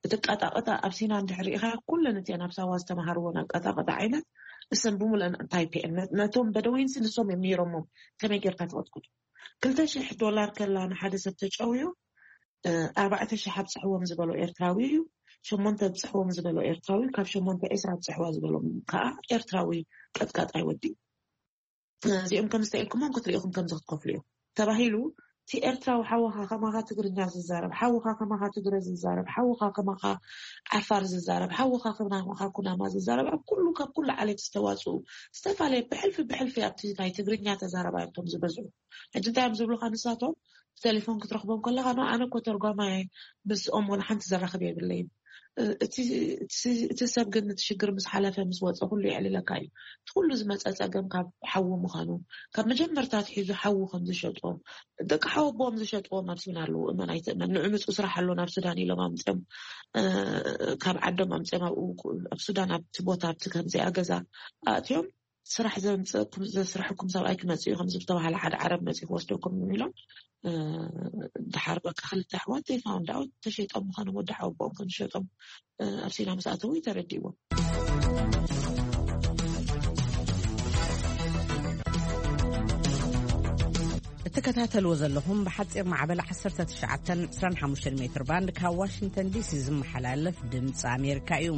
እቲ ቀጣቀጣ ኣብ ሲና እንድሕር ርኢኻ ኩለን እቲአን ኣብ ሳዋ ዝተምሃርዎን ኣቀጣቀጣ ዓይነት እሰን ብምሉአን እንታይ ፒኤን ነቶም በደዊንሲ ንሶም እዮም ነይሮሞ። ከመይ ጌርካ ትቐጥቅጡ? ክልተ ሽሕ ዶላር ከላ ንሓደ ሰብ ተጨውዩ ኣርባዕተ ሽሕ ኣብፅሕዎም ዝበሎ ኤርትራዊ እዩ። ሸሞንተ ኣብፅሕዎም ዝበሎ ኤርትራዊ ካብ ሸሞንተ ዒስራ ኣብፅሕዋ ዝበሎም ከዓ ኤርትራዊ ቀጥቃጣይ ወዲ እዚኦም ከም ዝተኢልኩሞም ክትሪኢኹም ከምዚ ክትከፍሉ እዮም ተባሂሉ። እቲ ኤርትራዊ ሓውኻ ከማኻ ትግርኛ ዝዛረብ ሓውኻ ከማኻ ትግረ ዝዛረብ ሓውኻ ከማኻ ዓፋር ዝዛረብ ሓውኻ ከማኻ ኩናማ ዝዛረብ ኣብ ኩሉ ካብ ኩሉ ዓሌት ዝተዋፅኡ ዝተፈላለየ ብሕልፊ ብሕልፊ ኣብቲ ናይ ትግርኛ ተዛረባይ እቶም ዝበዝሑ ሕጂ እንታይ እዮም ዝብሉካ ንሳቶም ብቴሌፎን ክትረኽቦም ከለኻ ኖ ኣነ እኮ ተርጓማይ ምስኦም ወላ ሓንቲ ዘራኽብ የብለይን። እቲ እቲ ሰብ ግን እቲ ሽግር ምስ ሓለፈ፣ ምስ ወፀ፣ ኩሉ የዕልለካ እዩ። እቲ ኩሉ ዝመፀ ፀገም ካብ ሓዊ ምዃኑ፣ ካብ መጀመርታ ኣትሒዙ ሓዊ ከም ዝሸጦ፣ ደቂ ሓወቦኦም ዝሸጥዎም ኣብ ሱዳን ኣለዉ። እመን ኣይትእመን፣ ንዑ ምፁ ስራሕ ኣሎ ናብ ሱዳን ኢሎም ኣምፅኦም፣ እ፣ ካብ ዓዶም ኣምፅኦም ኣብኡ፣ ኣብ ሱዳን፣ ኣብቲ ቦታ፣ ኣብቲ ከምዚኣ ገዛ ኣእትዮም፣ ስራሕ ዘምፅእኩም፣ ዘስርሐኩም ሰብኣይ ክመፅእ እዩ፣ ከም ዝተባሃለ፣ ሓደ ዓረብ መፅኡ ክወስደኩም እዩ ኢሎም፣ እ፣ ድሓር በቃ ክልተ ኣሕዋት they found out ተሸይጦም ምዃኖም፣ ወዲ ሓወቦኦም ከም ዝሸጦም፣ እ፣ ኣብ ሲና ምስ ኣተዉ እዩ ተረዲእዎም። እትከታተልዎ ዘለኹም ብሓፂር ማዕበል ዓሰርተ ትሽዓተ ዕስራን ሓሙሽተን ሜትር ባንድ ካብ ዋሽንግተን ዲሲ ዝመሓላለፍ ድምፂ ኣሜሪካ እዩ።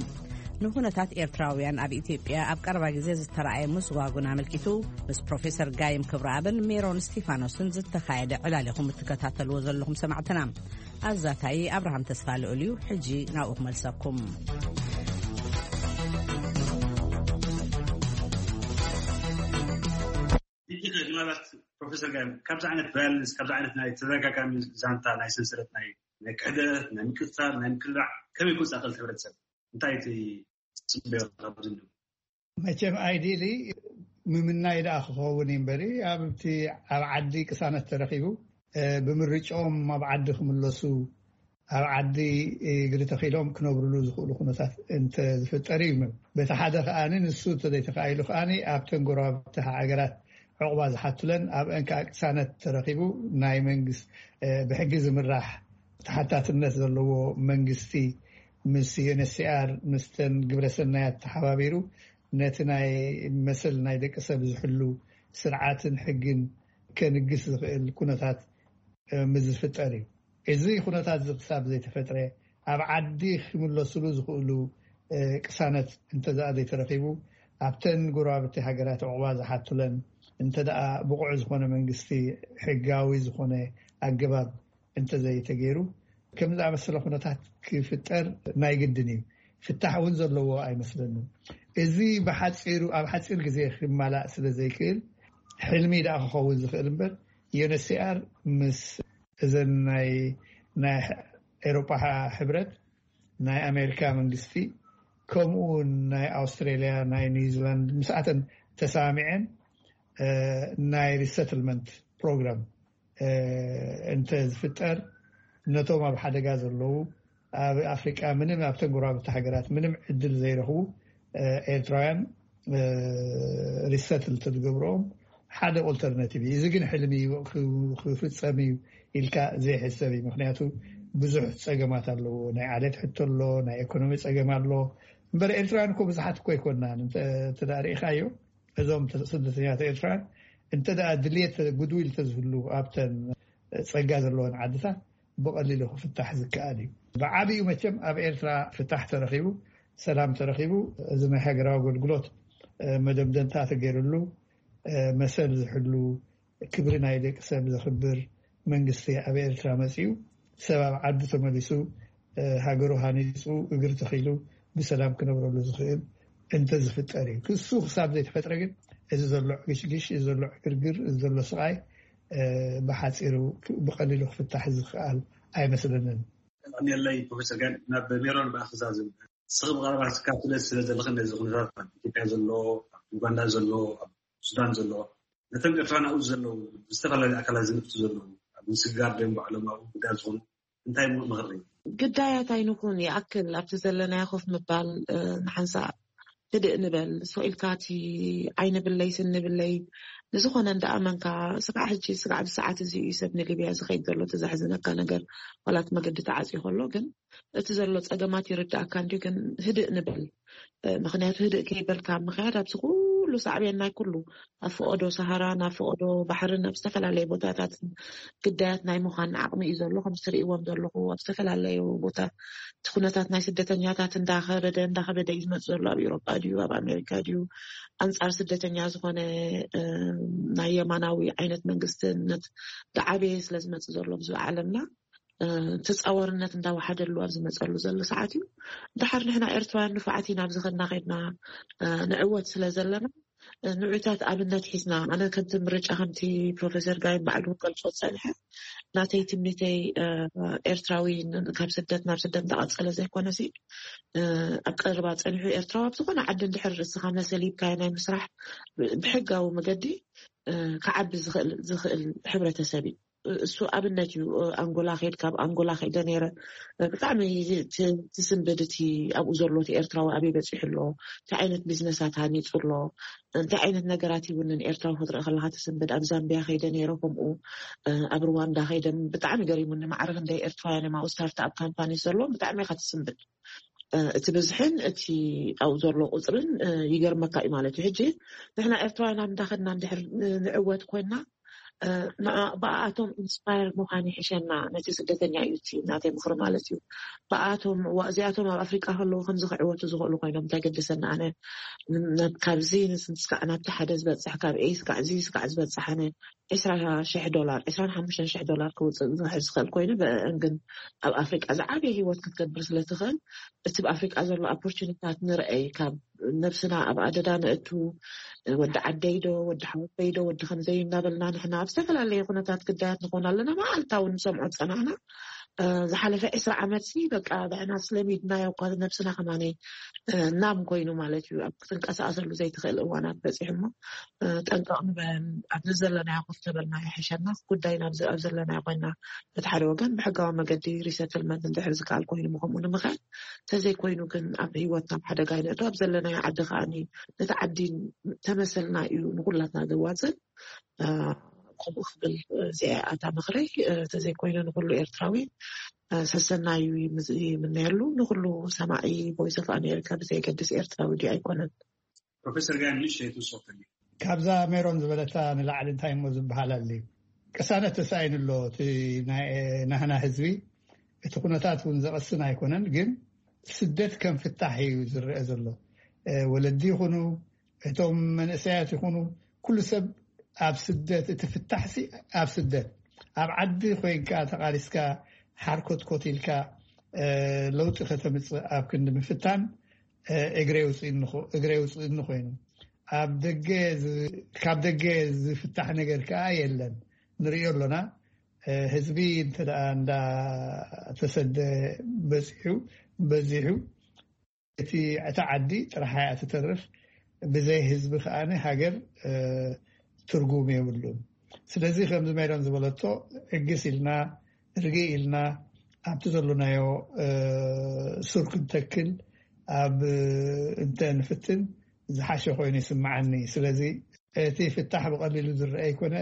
ንኩነታት ኤርትራውያን ኣብ ኢትዮጵያ ኣብ ቀረባ ግዜ ዝተረኣየ ምስጓጉን ኣመልኪቱ፣ ምስ ፕሮፌሰር ጋይም ክብረኣብን ሜሮን ስቲፋኖስን ዝተኻየደ ዕላል ኢኹም እትከታተልዎ ዘለኹም ሰማዕትና። ኣዛታይ ኣብርሃም ተስፋ ልዑል እዩ። ሕጂ ናብኡ ክመልሰኩም። ሕጂ ከ ምናልባት ፕሮፌሰር ጋይም፣ ካብዚ ዓይነት ቫዮለንስ፣ ካብዚ ዓይነት ናይ ተደጋጋሚ ዛንታ፣ ናይ ሰንሰለት፣ ናይ ናይ ክሕደት፣ ናይ ምቅጻል፣ ናይ ምክልባዕ ከመይ ክወጻእ ክእል ሕብረተሰብ? እንታይ እቲ ትጽበዮ ካብዚ? መቸም ኣይዲሊ ምምናይ ደኣ ክኸውን እዩ እምበሪ፣ ኣብቲ ኣብ ዓዲ ቅሳነት ተረኺቡ፣ እ፣ ብምርጫኦም ኣብ ዓዲ ክምለሱ፣ ኣብ ዓዲ እግሪ ተኺሎም ክነብርሉ ዝኽእሉ ኩነታት እንተ ዝፍጠር እዩ። በቲ ሓደ ከኣ ንሱ እንተዘይተኻኢሉ ከኣ ኣብተን ጎረባብቲ ሃገራት ዕቑባ ዝሓቱለን ኣብአን ከኣ ቅሳነት ተረኺቡ ናይ መንግስት፣ እ፣ ብሕጊ ዝምራሕ ተሓታትነት ዘለዎ መንግስቲ ምስ ዩኤንኤችሲኣር፣ ምስተን ግብረሰናያት ተሓባቢሩ ነቲ ናይ መሰል ናይ ደቂ ሰብ ዝሕሉ ስርዓትን ሕግን ከንግስ ዝኽእል ኩነታት፣ እ፣ ምስ ዝፍጠር እዩ። እዚ ኩነታት እዚ ክሳብ ዘይተፈጥረ፣ ኣብ ዓዲ ክምለስሉ ዝኽእሉ፣ እ፣ ቅሳነት እንተደኣ ዘይተረኺቡ፣ ኣብተን ጎረባብቲ ሃገራት ዕቑባ ዝሓቱለን እንተደኣ ብቑዕ ዝኾነ መንግስቲ፣ ሕጋዊ ዝኾነ ኣገባብ እንተዘይተገይሩ፣ ከም ዝኣመሰለ ኩነታት ክፍጠር ናይ ግድን እዩ። ፍታሕ እውን ዘለዎ ኣይመስለንን። እዚ ብሓፂሩ፣ ኣብ ሓፂር ግዜ ክማላእ ስለ ዘይክእል፣ ሕልሚ ደኣ ክኸውን ዝኽእል እምበር፣ ዩኤንኤችሲኣር ምስ እዘን ናይ፣ ናይ ኤሮጳ ሕብረት፣ ናይ ኣሜሪካ መንግስቲ፣ ከምኡ እውን ናይ ኣውስትራሊያ፣ ናይ ኒውዚላንድ፣ ምስኣተን ተሰማሚዐን፣ እ፣ ናይ ሪሰትልመንት ፕሮግራም፣ እ፣ እንተ ዝፍጠር፣ ነቶም ኣብ ሓደጋ ዘለዉ፣ ኣብ ኣፍሪቃ ምንም፣ ኣብተን ጎረባብቲ ሃገራት ምንም ዕድል ዘይረኽቡ፣ እ፣ ኤርትራውያን፣ እ፣ ሪሰትል ተዝገብርኦም ሓደ ኦልተርናቲቭ እዩ። እዚ ግን ሕልሚ እዩ፣ ክ-፣ ክፍጸም እዩ ኢልካ ዘይሕሰብ እዩ። ምኽንያቱ ብዙሕ ጸገማት ኣለዎ። ናይ ዓሌት ሕቶ ኣሎ፣ ናይ ኢኮኖሚ ጸገም ኣሎ። እምበር ኤርትራውያን እኮ ብዙሓት እኮ ኣይኮናን። እንተ፣ እንተ ደኣ ርኢኻዮ፣ እዞም ተ-፣ ስደተኛታት ኤርትራውያን እንተ ደኣ ድልየት፣ ጉድዊል ተዝህሉ፣ ኣብተን ጸጋ ዘለወን ዓድታት ብቐሊሉ ክፍታሕ ዝከኣል እዩ። ብዓብዩ መቸም ኣብ ኤርትራ ፍታሕ ተረኺቡ፣ ሰላም ተረኺቡ፣ እዚ ናይ ሃገራዊ ኣገልግሎት፣ እ፣ መደምደምታ ተገይርሉ፣ እ፣ መሰል ዝሕሉ፣ ክብሪ ናይ ደቂ ሰብ ዘኽብር መንግስቲ ኣብ ኤርትራ መጺኡ፣ ሰብ ኣብ ዓዱ ተመሊሱ፣ እ፣ ሃገሩ ሃኒጹ፣ እግሪ ተኺሉ፣ ብሰላም ክነብረሉ ዝኽእል እንተ ዝፍጠር እዩ። ክሱ ክሳብ ዘይተፈጥረ ግን፣ እዚ ዘሎ ዕግሽግሽ፣ እዚ ዘሎ ዕግርግር፣ እዚ ዘሎ ስቓይ፣ እ፣ ብሓጺሩ ክ-፣ ብቐሊሉ ክፍታሕ ዝኽኣል ኣይመስለንን። ቀዳም የለይ ፕሮፌሰር ጋን ናብ ሜሮን ብኣኽዛዝም። ንስኺ ብቐረባ ትከታተሊ ስለ ዘለኺ ነዚ ኩነታት ኣብ ኢትዮጵያ ዘሎ፣ ኣብ ኡጋንዳ ዘሎ፣ ኣብ ሱዳን ዘሎ፣ ነቶም ኤርትራውያን ኣብኡ ዘለዉ፣ ብዝተፈላለዩ ኣካላት ዝንፍቱ ዘለዉ፣ ኣብ ምስግጋር ድዮም ባዕሎም ኣብኡ ግዳያት ዝኾኑ፣ እንታይ ምኽሪ? ግዳያት ኣይንኹን፣ ይኣክል ኣብቲ ዘለናዮ ኮፍ ምባል፣ እ፣ ንሓንሳእ ህድእ ንበል። ስቕ ኢልካ እቲ ዓይኒ ብለይ ስኒ ብለይ ንዝኾነ እንዳኣመንካ፣ ስጋዕ ሕጂ፣ ስጋዕ ብሰዓት እዚ እዩ ሰብ ንሊብያ ዝኸይድ ዘሎ፣ እቲ ዘሕዝነካ ነገር፣ ዋላ እቲ መገዲ ተዓፅዩ ከሎ፣ ግን እቲ ዘሎ ፀገማት ይርድኣካ እንድዩ። ግን ህድእ ንበል። እ፣ ምኽንያቱ ህድእ ከይበልካ ምኽያድ ኣብዚ ኩሉ ሳዕቤን ናይ ኩሉ ኣብ ፈቐዶ ሰሃራን ኣብ ፈቐዶ ባሕርን ኣብ ዝተፈላለየ ቦታታትን ግዳያት ናይ ምዃን ዓቕሚ እዩ ዘሎ። ከምዚ ትርእይዎም ዘለኹ ኣብ ዝተፈላለዩ ቦታ እቲ ኩነታት ናይ ስደተኛታት እንዳኸበደ እንዳኸበደ እዩ ዝመጽእ ዘሎ። ኣብ ኤውሮጳ ድዩ ኣብ ኣሜሪካ ድዩ ኣንጻር ስደተኛ ዝኾነ፣ እ፣ ናይ የማናዊ ዓይነት መንግስትነት ዝዓበየ ስለ ዝመጽእ ዘሎ ኣብዚ ዓለምና፣ እ፣ ተጻዋርነት እንዳወሓደሉ ኣብ ዝመጸሉ ዘሎ ሰዓት እዩ። ድሓር ንሕና ኤርትራውያን ንፉዓት ኢና፣ ኣብዚ ከድና ከድና፣ እ፣ ንዕወት ስለ ዘለና፣ ንዑታት ኣብነት ሒዝና፣ ኣነ ከምቲ ምርጫ፣ ከምቲ ፕሮፌሰር ጋይም ባዕሉ ገልጾ ዝጸንሐ፣ ናተይ ትምኒተይ ኤርትራዊ ካብ ስደት ናብ ስደት እንዳቐጸለ ዘይኮነሲ፣ ኣብ ቀረባ ጸኒሑ ኤርትራዊ ኣብ ዝኾነ ዓዲ እንድሕር ርእስኻ መሰል ሂብካዮ ናይ ምስራሕ ብሕጋዊ መገዲ ክዓቢ ዝኽእል ሕብረተሰብ እዩ። እሱ ኣብነት እዩ። ኣንጎላ ከይድ ካብ ኣንጎላ ከይደ ነይረ። ብጣዕሚ ትስንብድ እቲ ኣብኡ ዘሎ እቲ ኤርትራዊ ኣበይ በፂሑ ኣሎ፣ እንታይ ዓይነት ቢዝነሳት ሃኒፁ ኣሎ፣ እንታይ ዓይነት ነገራት ይውንን ኤርትራዊ ክትርኢ ከለካ ትስንብድ። ኣብ ዛምቢያ ከይደ ነይረ ከምኡ፣ ኣብ ሩዋንዳ ከይደ ብጣዕሚ ገሪሙኒ። ማዕረ ክንደይ ኤርትራውያን እዮም ኣብኡ ስታርትኣፕ ካምፓኒ ዘለዎም። ብጣዕሚ ኢካ ትስንብድ። እቲ ብዝሕን እቲ ኣብኡ ዘሎ ቁፅርን ይገርመካ እዩ ማለት እዩ። ሕጂ ንሕና ኤርትራውያን ኣብ እንዳኸድና እንድሕር ንዕወት ኮይና፣ ብኣኣቶም ኢንስፓየር ምዃን ይሕሸና። ነቲ ስደተኛ እዩ እቲ ናተይ ምኽሪ ማለት እዩ። ብኣኣቶም እዚኣቶም ኣብ ኣፍሪቃ ከለዉ ከምዚ ክዕወቱ ዝኽእሉ ኮይኖም እንታይ ገደሰና? ኣነ ካብዚ ስጋዕ ናብቲ ሓደ ዝበፅሕ፣ ካብ ኤ ስጋዕ እዚ ስጋዕ ዝበፅሕ፣ ኣነ ዕስራ ሺሕ ዶላር፣ ዕስራን ሓሙሽተን ሺሕ ዶላር ክውፅእ ዝኽእል ኮይኑ፣ ብእን ግን ኣብ ኣፍሪቃ ዝዓበየ ህይወት ክትገብር ስለትኽእል፣ እቲ ብኣፍሪቃ ዘሎ ኣፖርቹኒታት ንርአይ። ካብ ነብስና ኣብ ኣደዳ ነእቱ፣ ወዲ ዓደይ ዶ፣ ወዲ ሓወበይ ዶ፣ ወዲ ከምዘይ እናበልና ንሕና ኣብ ዝተፈላለየ ኩነታት ግዳያት ንኾን ኣለና። መዓልታ እውን ንሰምዖ ዝጸናሕና ዝሓለፈ ዕስራ ዓመት ሲ በቃ ብዕና ስለሚድናዮ እኳ ነብስና ከማነይ እናም ኮይኑ ማለት እዩ። ኣብ ክትንቀሳቀሰሉ ዘይትኽእል እዋናት በፂሑ እሞ፣ ጠንቀቕ ንበል። ኣብዚ ዘለናዮ ኮፍ ተበልና ይሕሸና። ጉዳይና ኣብ ዘለናዮ ኮይና በቲ ሓደ ወገን ብሕጋዊ መገዲ ሪሰትልመንት እንድሕር ዝከኣል ኮይኑ ምኸምኡ ንምኽኣል፣ እንተዘይኮይኑ ግን ኣብ ህይወትና ኣብ ሓደጋ ይነእቶ። ኣብ ዘለናዮ ዓዲ ከዓኒ ነቲ ዓዲ ተመሰልና እዩ ንኩላትና ዘዋፅእ። ከምኡ ክብል እዚኣ ኣታ ምኽረይ። እንተዘይኮይኑ ንኩሉ ኤርትራዊ ሰሰናዩ ይምነየሉ። ንኩሉ ሰማዒ ቮይስ ኦፍ ኣሜሪካ ብዘይገድስ ኤርትራዊ ድዩ ኣይኮነን። ፕሮፌሰር ጋይ ንእሽተይ ትውስኸልኒ። ካብዛ ሜሮን ዝበለታ ንላዕሊ እንታይ እሞ ዝበሃል ኣልዩ? ቅሳነት ተሳኢኑ ኣሎ እቲ ናይ ናህና ህዝቢ። እቲ ኩነታት እውን ዘቐስን ኣይኮነን፣ ግን ስደት ከም ፍታሕ እዩ ዝረአ ዘሎ። ወለዲ ይኹኑ፣ እቶም መንእሰያት ይኹኑ፣ ኩሉ ሰብ ኣብ ስደት፣ እቲ ፍታሕሲ ኣብ ስደት። ኣብ ዓዲ ኮይንካ ተቓሊስካ ሓርኮትኮት ኢልካ ለውጢ ከተምፅእ ኣብ ክንዲ ምፍታን፣ እግረ ውፅእኒ ኮይኑ፣ ኣብ ደገ ካብ ደገ ዝፍታሕ ነገር ከዓ የለን። ንሪኦ ኣሎና። ህዝቢ እንተ እንዳተሰደ በፂሑ በዚሑ፣ እቲ እታ ዓዲ ጥራሓ እያ ትተርፍ። ብዘይ ህዝቢ ከዓነ ሃገር ትርጉም የብሉን። ስለዚ ከምዚ ሜሮን ዝበለቶ፣ ዕግስ ኢልና፣ ርግእ ኢልና፣ ኣብቲ ዘሎናዮ ሱር ክንተክል ኣብ እንተ ንፍትን ዝሓሸ ኮይኑ ይስምዓኒ። ስለዚ እቲ ፍታሕ ብቐሊሉ ዝረአ ኣይኮነ፣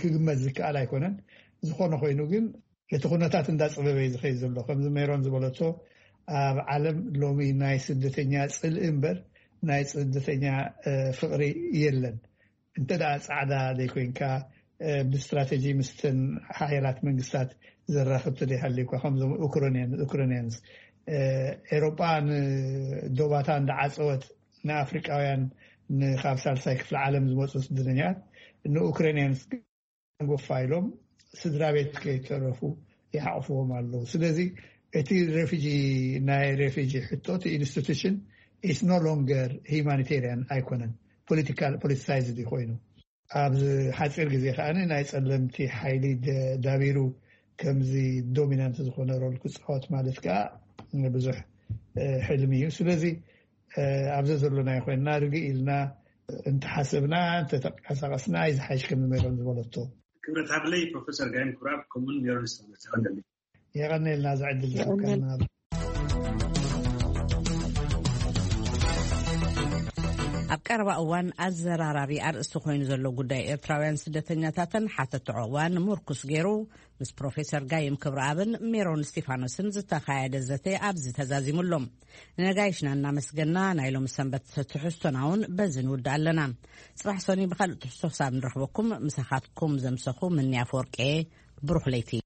ክግመት ዝከኣል ኣይኮነን። ዝኾነ ኮይኑ ግን እቲ ኩነታት እንዳፀበበ እዩ ዝኸይድ ዘሎ። ከምዚ ሜሮን ዝበለቶ፣ ኣብ ዓለም ሎሚ ናይ ስደተኛ ፅልኢ እምበር ናይ ስደተኛ ፍቕሪ የለን። እንተ ደኣ ፃዕዳ ዘይኮይንካ፣ ብስትራቴጂ ምስተን ሓያላት መንግስታት ዘራኽብ ተደይሃልዩ እኳ፣ ከምዞም ኡክራንያንስ ኤሮጳ ንዶባታ እንዳዓፀወት ንኣፍሪቃውያን፣ ንካብ ሳልሳይ ክፍለ ዓለም ዝመፁ ስደተኛት ንኡክራንያንስ ጎፋ ኢሎም ስድራ ቤት ከይተረፉ ይሓቕፍዎም ኣለዉ። ስለዚ እቲ ሬፊጂ፣ ናይ ሬፊጂ ሕቶ፣ እቲ ኢንስቲቱሽን ኢስ ኖ ሎንገር ሂማኒቴሪያን ኣይኮነን፣ ፖለቲካል፣ ፖለቲሳይዝድ ኮይኑ ኣብዚ ሓፂር ግዜ ከዓ ናይ ፀለምቲ ሓይሊ ዳቢሩ ከምዚ ዶሚናንት ዝኾነ ሮል ክፃወት ማለት ከዓ ብዙሕ ሕልሚ እዩ። ስለዚ ኣብዚ ዘሎናዮ ኮይንና ርግእ ኢልና እንተሓሰብና፣ እንተተንቀሳቀስና እዩ ዝሓይሽ ከም ሜሮን ዝበለቶ። ክብረት ሃብለይ ፕሮፌሰር ጋይም ኩራብ ከምኡን ሜሮን ዝተመልሰ ቀንደሊ። የቐነልና ዝዕድል ዝሰብከልና። ኣብ ቀረባ እዋን ኣዘራራቢ ኣርእስቲ ኮይኑ ዘሎ ጉዳይ ኤርትራውያን ስደተኛታትን ሓተትዖ እዋን ምርኩስ ገይሩ ምስ ፕሮፌሰር ጋይም ክብረኣብን ሜሮን እስቲፋኖስን ዝተኻየደ ዘተ ኣብዚ ተዛዚሙ ኣሎ። ንነጋይሽና እናመስገና ናይ ሎሚ ሰንበት ትሕዝቶና እውን በዚ ንውድእ ኣለና። ጽባሕ ሰኑይ ብኻልእ ትሕዝቶ ክሳብ ንረኽበኩም ምሳኻትኩም ዘምሰኹ ምንያ ኣፈወርቂ። ብሩኽ ለይቲ።